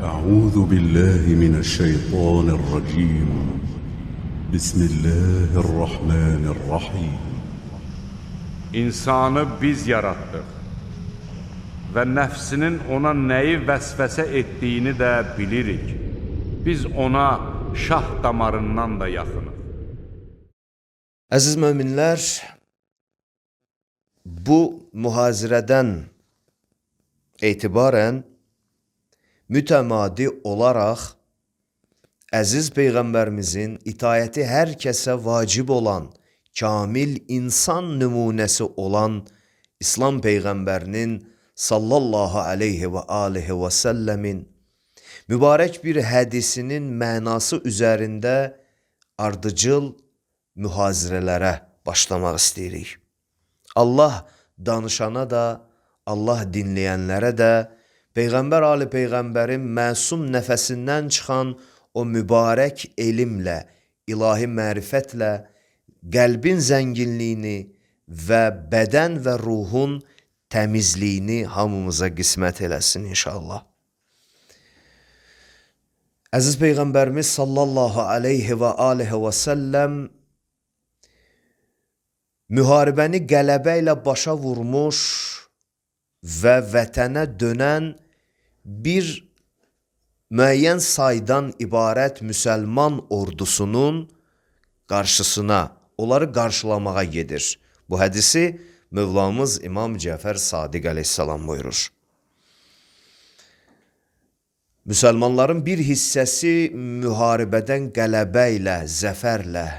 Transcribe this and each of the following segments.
أعوذ بالله من الشيطان الرجيم. بسم الله الرحمن الرحيم. İnsanı biz yaratdıq və nəfsinin ona nəyi vəsvəsə etdiyini də bilirik. Biz ona şah damarından da yaxınıq. Əziz möminlər, bu mühazirədən etibarən mütəmadi olaraq əziz Peyğəmbərimizin itayəti hər kəsə vacib olan, kamil insan nümunəsi olan İslam Peyğəmbərinin sallallahu aleyhi və alihi və səlləmin mübarək bir hədisinin mənası üzərində ardıcıl mühazirələrə başlamaq istəyirik. Allah danışana da, Allah dinləyənlərə də Peyğəmbər Ali Peyğəmbərin məsum nəfəsindən çıxan o mübarək elmlə, ilahi mərifətlə qəlbin zənginliyini və bədən və ruhun təmizliyini hamımıza qismət eləsin inşallah. Əziz Peyğəmbərimiz sallallahu aleyhi və alihi və səlləm müharibəni qələbə ilə başa vurmuş və vətənə dönən bir müəyyən saydan ibarət müsəlman ordusunun qarşısına, onları qarşılamağa gedir. Bu hədisi Mövlamız İmam Cəfər Sadiq əleyhissalam buyurur. Müsəlmanların bir hissəsi müharibədən qələbə ilə, zəfərlə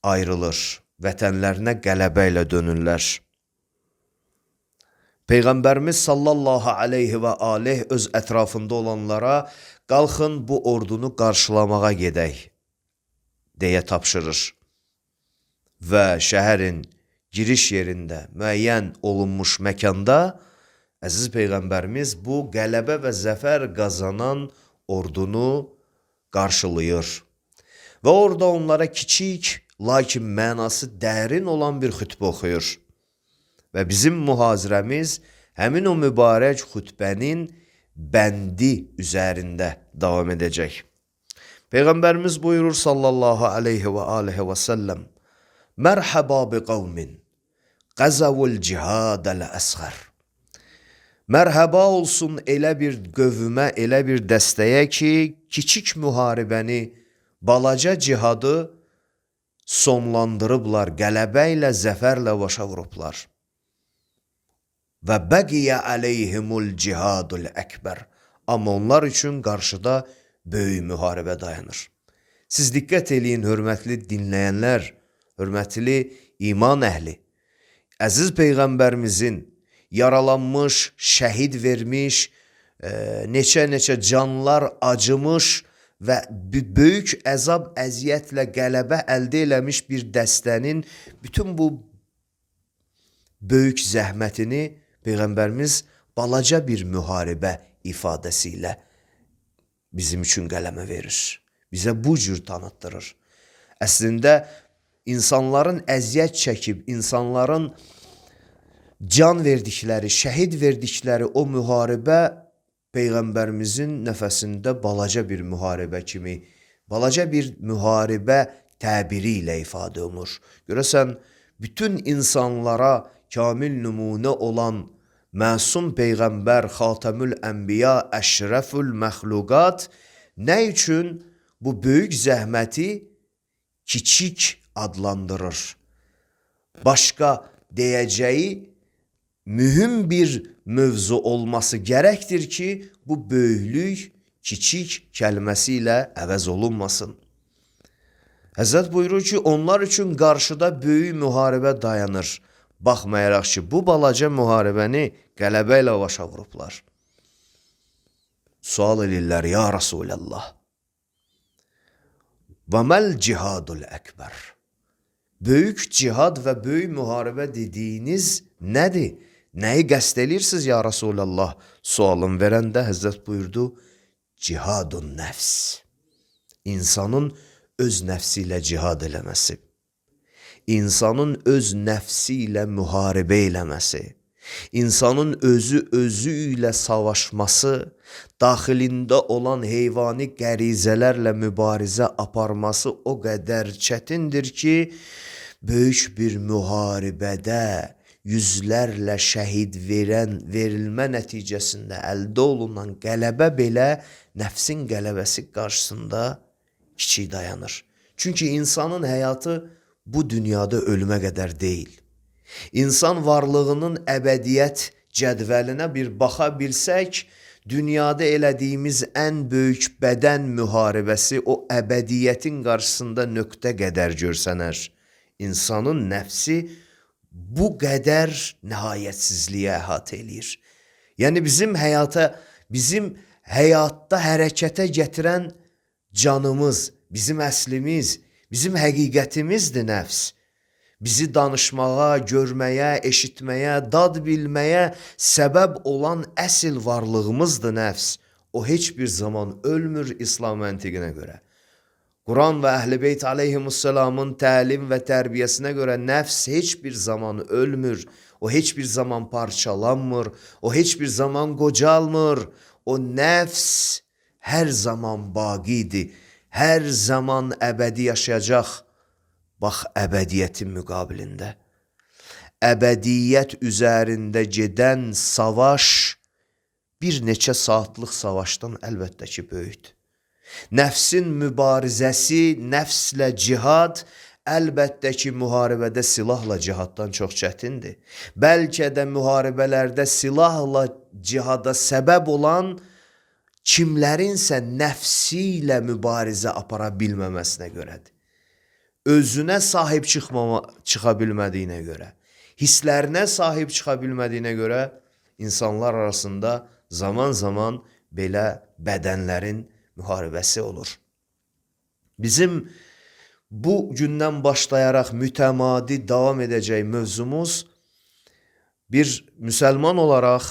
ayrılır, vətənlərinə qələbə ilə dönürlər. Peyğəmbərimiz sallallahu aleyhi və aleyh öz ətrafında olanlara qalxın bu ordunu qarşılamağa gedək deyə tapşırır. Və şəhərin giriş yerində müəyyən olunmuş məkanda əziz Peyğəmbərimiz bu qələbə və zəfər qazanan ordunu qarşılayır. Və orada onlara kiçik, lakin mənası dərin olan bir xütbə oxuyur. Və bizim mühazirəmiz həmin o mübarək xütbənin bəndi üzərində davam edəcək. Peyğəmbərimiz buyurur sallallahu aleyhi və alihi və səlləm: Mərhəba bi qavmin qəzəvul cihadəl əsğər. Mərhəba olsun elə bir qövmə, elə bir dəstəyə ki, kiçik müharibəni, balaca cihadı sonlandırıblar, qələbə ilə, zəfərlə başa vurublar. Və bəqiyə əleyhimul cihadul əkbər. Amma onlar üçün qarşıda böyük müharibə dayanır. Siz diqqət eləyin, hörmətli dinləyənlər, hörmətli iman əhli. Əziz Peyğəmbərimizin yaralanmış, şəhid vermiş, neçə canlar acımış və böyük əzab, əziyyətlə qələbə əldə eləmiş bir dəstənin bütün bu böyük zəhmətini Peyğəmbərimiz balaca bir müharibə ifadəsi ilə bizim üçün qələmə verir. Bizə bu cür tanıtdırır. Əslində, insanların əziyyət çəkib, insanların can verdikləri, şəhid verdikləri o müharibə Peyğəmbərimizin nəfəsində balaca bir müharibə kimi, balaca bir müharibə təbiri ilə ifadə olunur. Görəsən, bütün insanlara kamil nümunə olan məsum Peyğəmbər, Xatəmül Ənbiya, Əşrəfül Məxluqat nə üçün bu böyük zəhməti kiçik adlandırır? Başqa deyəcəyi mühüm bir mövzu olması gərəkdir ki, bu böyüklük kiçik kəlməsi ilə əvəz olunmasın. Həzrət buyurur ki, onlar üçün qarşıda böyük müharibə dayanır. Baxmayaraq ki, bu balaca müharibəni qələbə ilə başa vurublar. Sual edirlər, ya Rasulallah, və məl cihadul əkbər? Böyük cihad və böyük müharibə dediyiniz nədir? Nəyi qəsd edirsiniz ya Rasulallah? Sualın verəndə Həzrət buyurdu, cihadun nəfs. İnsanın öz nəfsi ilə cihad eləməsi. İnsanın öz nəfsi ilə müharibə eləməsi. İnsanın özü ilə savaşması, daxilində olan heyvani qərizələrlə mübarizə aparması o qədər çətindir ki, böyük bir müharibədə yüzlərlə şəhid verilmə nəticəsində əldə olunan qələbə belə nəfsin qələbəsi qarşısında kiçik dayanır. Çünki insanın həyatı bu dünyada ölümə qədər deyil. İnsan varlığının əbədiyyət cədvəlinə bir baxa bilsək, dünyada elədiyimiz ən böyük bədən müharibəsi o əbədiyyətin qarşısında nöqtə qədər görsənər. İnsanın nəfsi bu qədər nihayətsizliyə əhatə eləyir. Yəni bizim həyatda hərəkətə gətirən canımız, bizim əslimiz, bizim həqiqətimizdir nəfs. Bizi danışmağa, görməyə, eşitməyə, dad bilməyə səbəb olan əsl varlığımızdır nəfs. O heç bir zaman ölmür İslam məntiqinə görə. Quran və Əhl-i Beyt aleyhimussalamın təlim və tərbiyəsinə görə nəfs heç bir zaman ölmür. O heç bir zaman parçalanmır. O heç bir zaman qocalmır. O nəfs hər zaman baqidir. Hər zaman əbədi yaşayacaq. Bax, əbədiyyətin müqabilində. Əbədiyyət üzərində gedən savaş bir neçə saatlıq savaşdan əlbəttə ki, böyükdür. Nəfsin mübarizəsi, nəfslə cihad əlbəttə ki, müharibədə silahla cihaddan çox çətindir. Bəlkə də müharibələrdə silahla cihada səbəb olan kimlərinsə nəfsi ilə mübarizə apara bilməməsinə görədir. Özünə sahib çıxa bilmədiyinə görə, hisslərinə sahib çıxa bilmədiyinə görə insanlar arasında zaman-zaman belə bədənlərin müharibəsi olur. Bizim bu gündən başlayaraq mütəmadi davam edəcək mövzumuz bir müsəlman olaraq,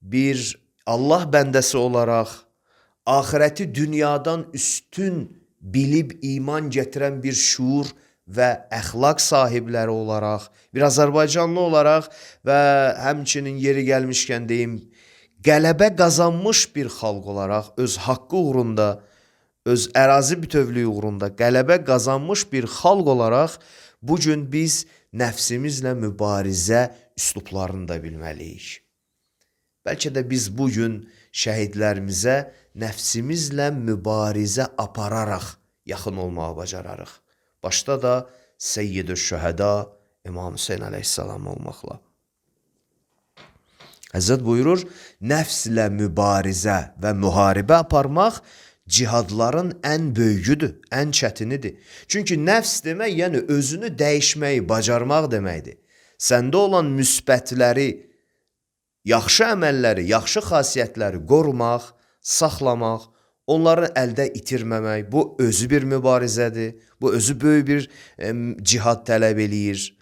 bir Allah bəndəsi olaraq, axirəti dünyadan üstün bilib iman gətirən bir şuur və əxlaq sahibləri olaraq, bir Azərbaycanlı olaraq və həmçinin yeri gəlmişkən deyim, qələbə qazanmış bir xalq olaraq, öz haqqı uğrunda, öz ərazi bütövlüyü uğrunda qələbə qazanmış bir xalq olaraq, bugün biz nəfsimizlə mübarizə üslublarını da bilməliyik. Bəlkə də biz bugün şəhidlərimizə nəfsimizlə mübarizə apararaq yaxın olmağı bacararıq. Başda da Seyyid-ü Şühəda İmam Hüseyin əleyhissalam olmaqla. Həzrət buyurur, nəfslə mübarizə və müharibə aparmaq cihadların ən böyüyüdür, ən çətinidir. Çünki nəfs demək, yəni özünü dəyişməyi bacarmaq deməkdir. Səndə olan müsbətləri, yaxşı əməlləri, yaxşı xasiyyətləri qorumaq, saxlamaq, onları əldə itirməmək, bu özü bir mübarizədir, bu özü böyük bir cihad tələb eləyir.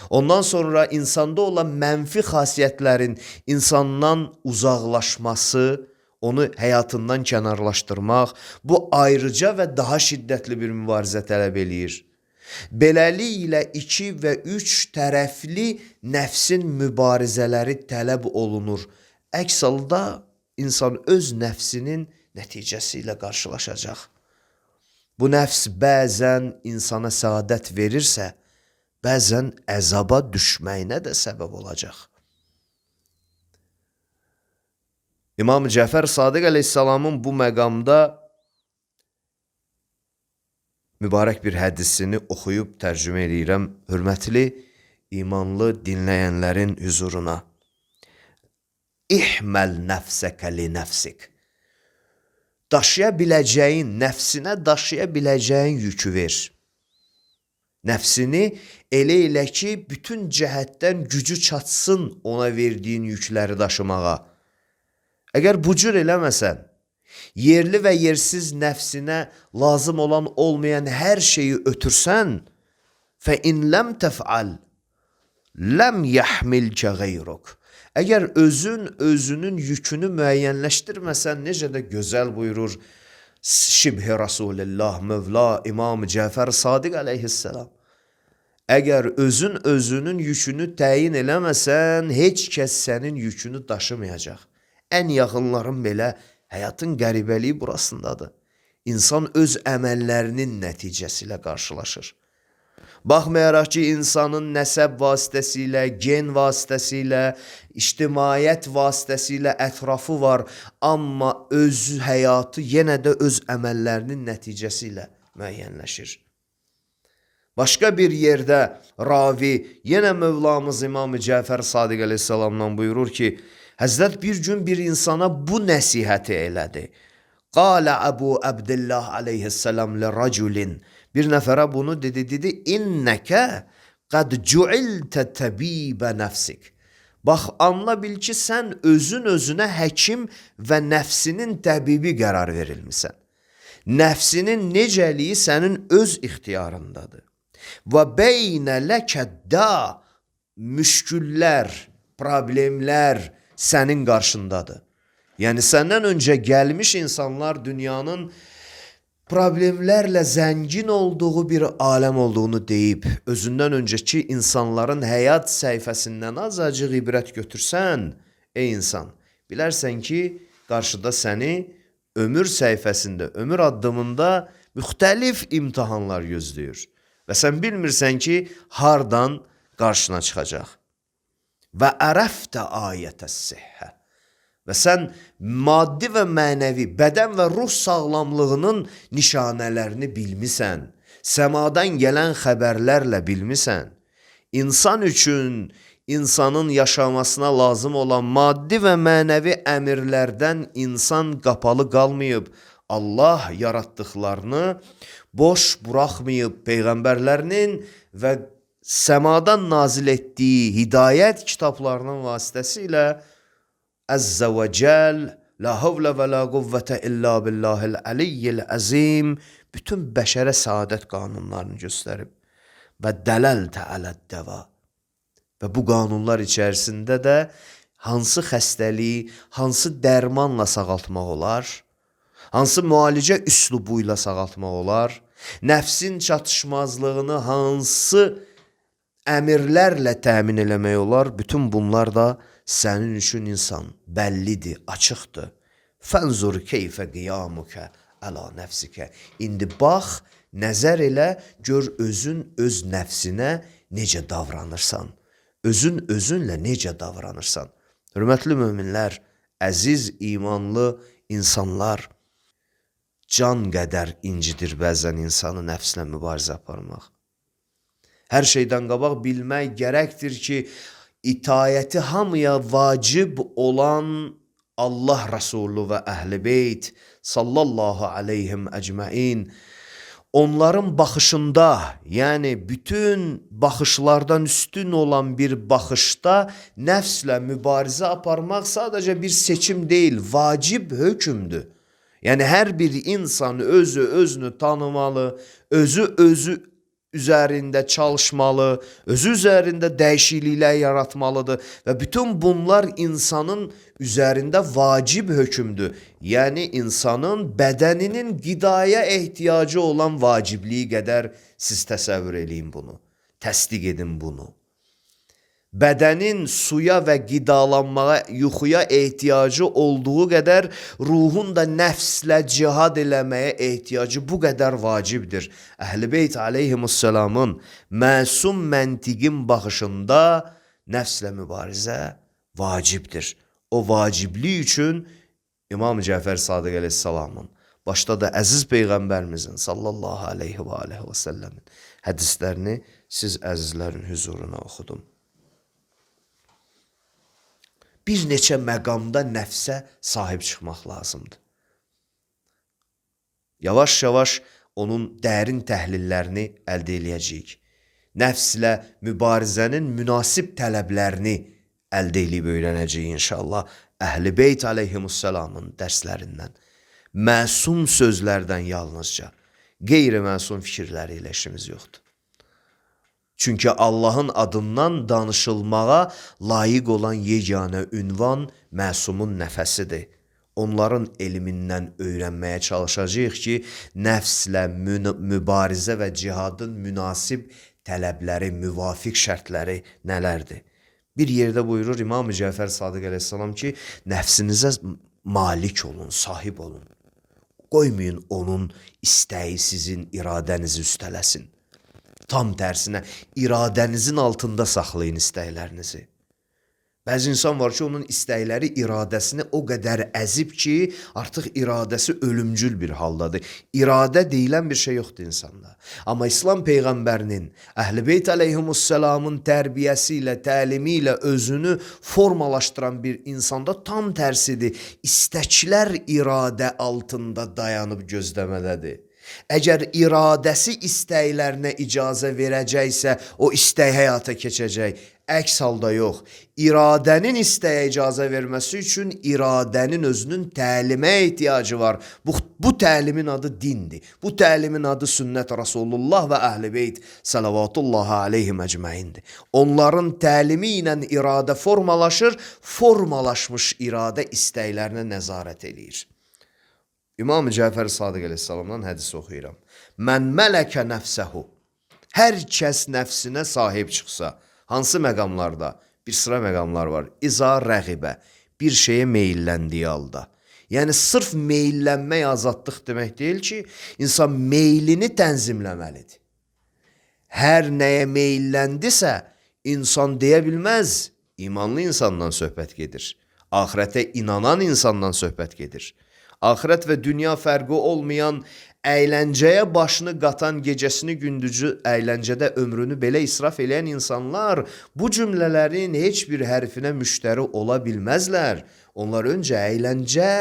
Ondan sonra insanda olan mənfi xasiyyətlərin insandan uzaqlaşması, onu həyatından kənarlaşdırmaq, bu ayrıca və daha şiddətli bir mübarizə tələb eləyir. Beləliklə 2 və 3 tərəfli nəfsin mübarizələri tələb olunur. Əks halda insan öz nəfsinin nəticəsi ilə qarşılaşacaq. Bu nəfs bəzən insana səadət verirsə, bəzən əzaba düşməyinə də səbəb olacaq. İmam Cəfər Sadiq əleyhissalamın bu məqamda mübarək bir hədisini oxuyub tərcümə edirəm hörmətli imanlı dinləyənlərin huzuruna. İhməl nəfsəkə li nəfsik. Daşıya biləcəyin, nəfsinə daşıya biləcəyin yükü ver. Nəfsini elə ki, bütün cəhətdən gücü çatsın ona verdiyin yükləri daşımağa. Əgər bu cür eləməsən, yerli və yersiz nəfsinə lazım olan olmayan hər şeyi ötürsən, فَاِنْ لَمْ تَفْعَلْ لَمْ يَحْمِلْكَ غَيْرُكَ. Əgər özünün yükünü müəyyənləşdirməsən, necə də gözəl buyurur Şibhi Rasulullah, Mövla İmam Cəfər Sadiq əleyhissalam. Əgər özün özünün yükünü təyin eləməsən, heç kəs sənin yükünü daşımayacaq. Ən yaxınların belə həyatın qəribəliyi burasındadır. İnsan öz əməllərinin nəticəsi ilə qarşılaşır. Baxmayaraq ki, insanın nəsəb vasitəsilə, gen vasitəsilə, ictimaiyyət vasitəsilə ətrafı var, amma öz həyatı yenə də öz əməllərinin nəticəsi ilə müəyyənləşir. Başqa bir yerdə ravi, yenə Mövlamız İmam-ı Cəfər Sadiq əleyhissalamdan buyurur ki, Həzrət bir gün bir insana bu nəsihəti elədi. Qalə Əbu Əbdillah aleyhissalam li raculin. Bir nəfərə bunu dedi, İnnəkə qəd cuiltə təbibə nəfsik. Bax, anla bil ki, sən özün özünə həkim və nəfsinin təbibi qərar verilmisən. Nəfsinin necəliyi sənin öz ixtiyarındadır. Və beynə ləkəddə müşküllər, problemlər sənin qarşındadır. Yəni, səndən öncə gəlmiş insanlar dünyanın problemlərlə zəngin olduğu bir aləm olduğunu deyib, özündən öncəki insanların həyat səhifəsindən azacıq ibrət götürsən, ey insan, bilərsən ki, qarşıda səni ömür səhifəsində, ömür addımında müxtəlif imtihanlar gözləyir. Və sən bilmirsən ki, hardan qarşına çıxacaq. Və ərəftə ayətəs sihhə. Və sən maddi və mənəvi, bədən və ruh sağlamlığının nişanələrini bilmisən. Səmadan gələn xəbərlərlə bilmisən. İnsan üçün, insanın yaşamasına lazım olan maddi və mənəvi əmirlərdən insan qapalı qalmayıb. Allah yaratdıqlarını boş buraxmayıb, peyğəmbərlərinin və səmadan nazil etdiyi hidayət kitablarının vasitəsilə Əzzə və Cəl, la havlə və la quvvətə illa billahil əliyyil əzim bütün bəşərə saadət qanunlarını göstərib və dələltə ələddəva və bu qanunlar içərisində də hansı xəstəliyi, hansı dərmanla sağaltmaq olar, hansı müalicə üslubu ilə sağaltmaq olar, nəfsin çatışmazlığını hansı əmirlərlə təmin eləmək olar, bütün bunlar da sənin üçün insan bəllidir, açıqdır. Fənzur keyfə qiyamukə əla nəfsikə. İndi bax, nəzər elə, gör özün öz nəfsinə necə davranırsan, özün özünlə necə davranırsan. Hörmətli möminlər, əziz imanlı insanlar, can qədər incidir bəzən insanı nəfslə mübarizə aparmaq. Hər şeydən qabaq bilmək gərəkdir ki, itayəti hamıya vacib olan Allah Rəsulü və Əhl-i Beyt sallallahu aleyhim əcməin onların baxışında, yəni bütün baxışlardan üstün olan bir baxışda nəfslə mübarizə aparmaq sadəcə bir seçim deyil, vacib hökmdür. Yəni hər bir insan özünü tanımalı, özü üzərində çalışmalı, özü üzərində dəyişikliklər yaratmalıdır və bütün bunlar insanın üzərində vacib hökmdür. Yəni insanın bədəninin qidaya ehtiyacı olan vacibliyi qədər siz təsəvvür eləyin bunu, təsdiq edin bunu. Bədənin suya və qidalanmağa, yuxuya ehtiyacı olduğu qədər ruhun da nəfslə cihad eləməyə ehtiyacı bu qədər vacibdir. Əhl-i Beyt aleyhimussalamın məsum məntiqin baxışında nəfslə mübarizə vacibdir. O vaciblik üçün İmam Cəfər Sadiq əleyhissalamın, başda da əziz Peyğəmbərimizin sallallahu aleyhi və səlləmin hədislərini siz əzizlərin hüzuruna oxudum. Bir neçə məqamda nəfsə sahib çıxmaq lazımdır. Yavaş-yavaş onun dərin təhlillərini əldə eləyəcəyik. Nəfslə mübarizənin münasib tələblərini əldə eləyib öyrənəcəyik inşallah. Əhl-i Beyt aleyhimussalamın dərslərindən, məsum sözlərdən yalnızca, qeyri-məsum fikirləri ilə işimiz yoxdur. Çünki Allahın adından danışılmağa layiq olan yeganə ünvan məsumun nəfəsidir. Onların elmindən öyrənməyə çalışacağıq ki, nəfslə mübarizə və cihadın münasib tələbləri, müvafiq şərtləri nələrdir? Bir yerdə buyurur İmam-ı Cəfər Sadiq əleyhissalam ki, nəfsinizə malik olun, sahib olun. Qoymayın onun istəyi sizin iradənizi üstələsin. Tam tərsinə, iradənizin altında saxlayın istəklərinizi. Bəzi insan var ki, onun istəkləri iradəsini o qədər əzib ki, artıq iradəsi ölümcül bir haldadır. İradə deyilən bir şey yoxdur insanda. Amma İslam Peyğəmbərinin, Əhl-i Beyt əleyhimussalamın tərbiyəsi ilə, təlimi ilə özünü formalaşdıran bir insanda tam tərsidir. İstəklər iradə altında dayanıb gözləmədədir. Əgər iradəsi istəklərinə icazə verəcəksə, o istək həyata keçəcək. Əks halda yox. İradənin istəyə icazə verməsi üçün iradənin özünün təlimə ehtiyacı var. Bu təlimin adı dindir. Bu təlimin adı sünnət Rasulullah və Əhl-i Beyt salavatullahi aleyhim əcməindir. Onların təlimi ilə iradə formalaşır, formalaşmış iradə istəklərinə nəzarət edir. İmam-ı Cəfər Sadiq əleyhissalamdan hədis oxuyuram. Mən mələkə nəfsəhu. Hər kəs nəfsinə sahib çıxsa, hansı məqamlarda? Bir sıra məqamlar var. İza rəğibə, bir şeyə meylləndiyi halda. Yəni, sırf meyllənmək azadlıq demək deyil ki, insan meylini tənzimləməlidir. Hər nəyə meylləndisə, insan deyə bilməz, imanlı insandan söhbət gedir. Axirətə inanan insandan söhbət gedir. Axirət və dünya fərqi olmayan, əyləncəyə başını qatan, gecəsini gündüzü əyləncədə ömrünü belə israf eləyən insanlar bu cümlələrin heç bir hərfinə müştəri ola bilməzlər. Onlar öncə əyləncə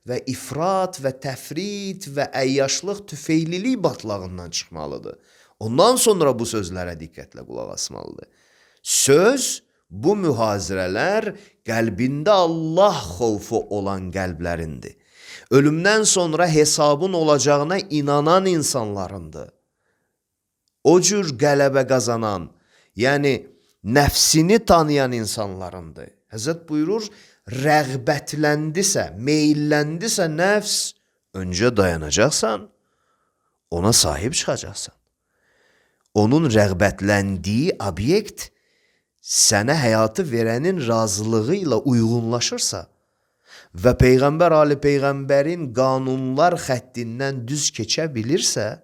və ifrat və təfrit və əyyaşlıq, tüfeylilik batlağından çıxmalıdır. Ondan sonra bu sözlərə diqqətlə qulaq asmalıdır. Söz, bu mühazirələr qəlbində Allah xovfu olan qəlblərindir. Ölümdən sonra hesabın olacağına inanan insanlarındır. O cür qələbə qazanan, yəni nəfsini tanıyan insanlarındır. Həzrət buyurur, rəğbətləndisə, meylləndisə nəfs, öncə dayanacaqsan, ona sahib çıxacaqsan. Onun rəğbətləndiyi obyekt sənə həyatı verənin razılığı ilə uyğunlaşırsa, və Peyğəmbər Ali Peyğəmbərin qanunlar xəttindən düz keçə bilirsə,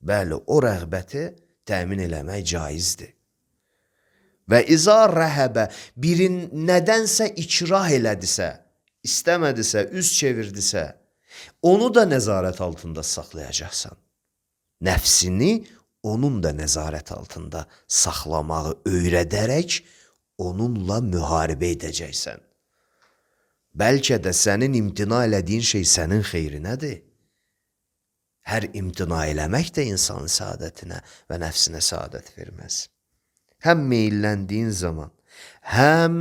bəli, o rəğbəti təmin eləmək caizdir. Və iza rəhəbə, birin nədənsə ikrah elədisə, istəmədisə, üz çevirdisə, onu da nəzarət altında saxlayacaqsan. Nəfsini onun da nəzarət altında saxlamağı öyrədərək onunla müharibə edəcəksən. Bəlkə də sənin imtina elədiyin şey sənin xeyrinədir. Hər imtina eləmək də insanın səadətinə və nəfsinə səadət verməz. Həm meylləndiyin zaman, həm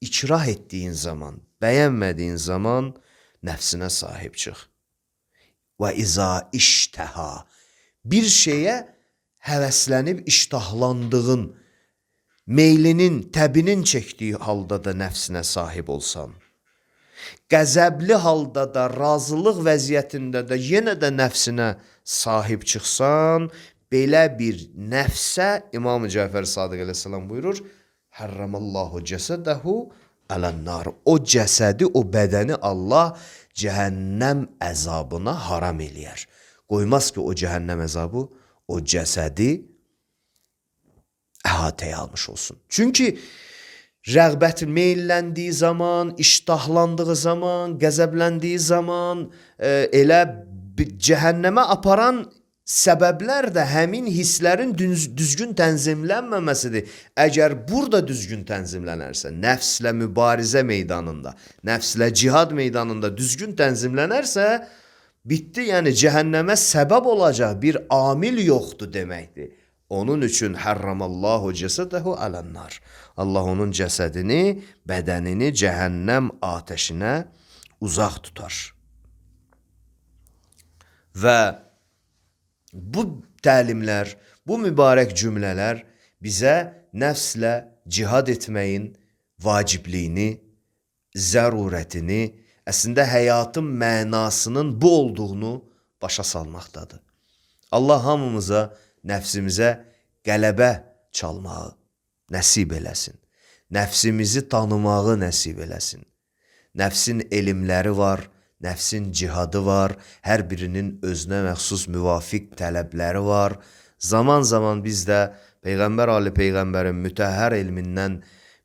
ikrah etdiyin zaman, bəyənmədiyin zaman nəfsinə sahib çıx. Və iza iştəha, bir şeyə həvəslənib iştahlandığın, meylinin, təbinin çəkdiyi halda da nəfsinə sahib olsan, qəzəbli halda da, razılıq vəziyyətində də yenə də nəfsinə sahib çıxsan, belə bir nəfsə, İmam-ı Cəfər Sadiq əleyhissalam buyurur, Hərramallahu cəsədəhu ələnnar. O cəsədi, o bədəni Allah cəhənnəm əzabına haram eləyər. Qoymaz ki, o cəhənnəm əzabı, o cəsədi əhatəyə almış olsun. Çünki rəğbət meylləndiyi zaman, iştahlandığı zaman, qəzəbləndiyi zaman elə cəhənnəmə aparan səbəblər də həmin hisslərin düzgün tənzimlənməməsidir. Əgər burada düzgün tənzimlənərsə, nəfslə mübarizə meydanında, nəfslə cihad meydanında düzgün tənzimlənərsə, bitdi, yəni cəhənnəmə səbəb olacaq bir amil yoxdur deməkdir. Onun üçün hərramallahu cəsədəhu ələnnar. Allah onun cəsədini, bədənini cəhənnəm atəşinə uzaq tutar. Və bu təlimlər, bu mübarək cümlələr bizə nəfslə cihad etməyin vacibliyini, zərurətini, əslində həyatın mənasının bu olduğunu başa salmaqdadır. Allah hamımıza, nəfsimizə qələbə çalmağı nəsib eləsin. Nəfsimizi tanımağı nəsib eləsin. Nəfsin elmləri var, nəfsin cihadı var, hər birinin özünə məxsus müvafiq tələbləri var. Zaman biz də Peyğəmbər Ali Peyğəmbərin mütəhhər elmindən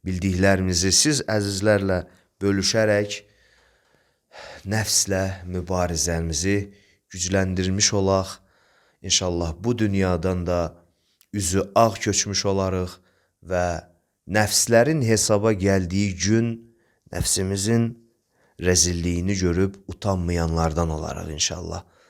bildiklərimizi siz əzizlərlə bölüşərək nəfslə mübarizəmizi gücləndirmiş olaq. İnşallah bu dünyadan da üzü ağ köçmüş olarıq və nəfslərin hesaba gəldiyi gün nəfsimizin rəzilliyini görüb utanmayanlardan olarıq inşallah.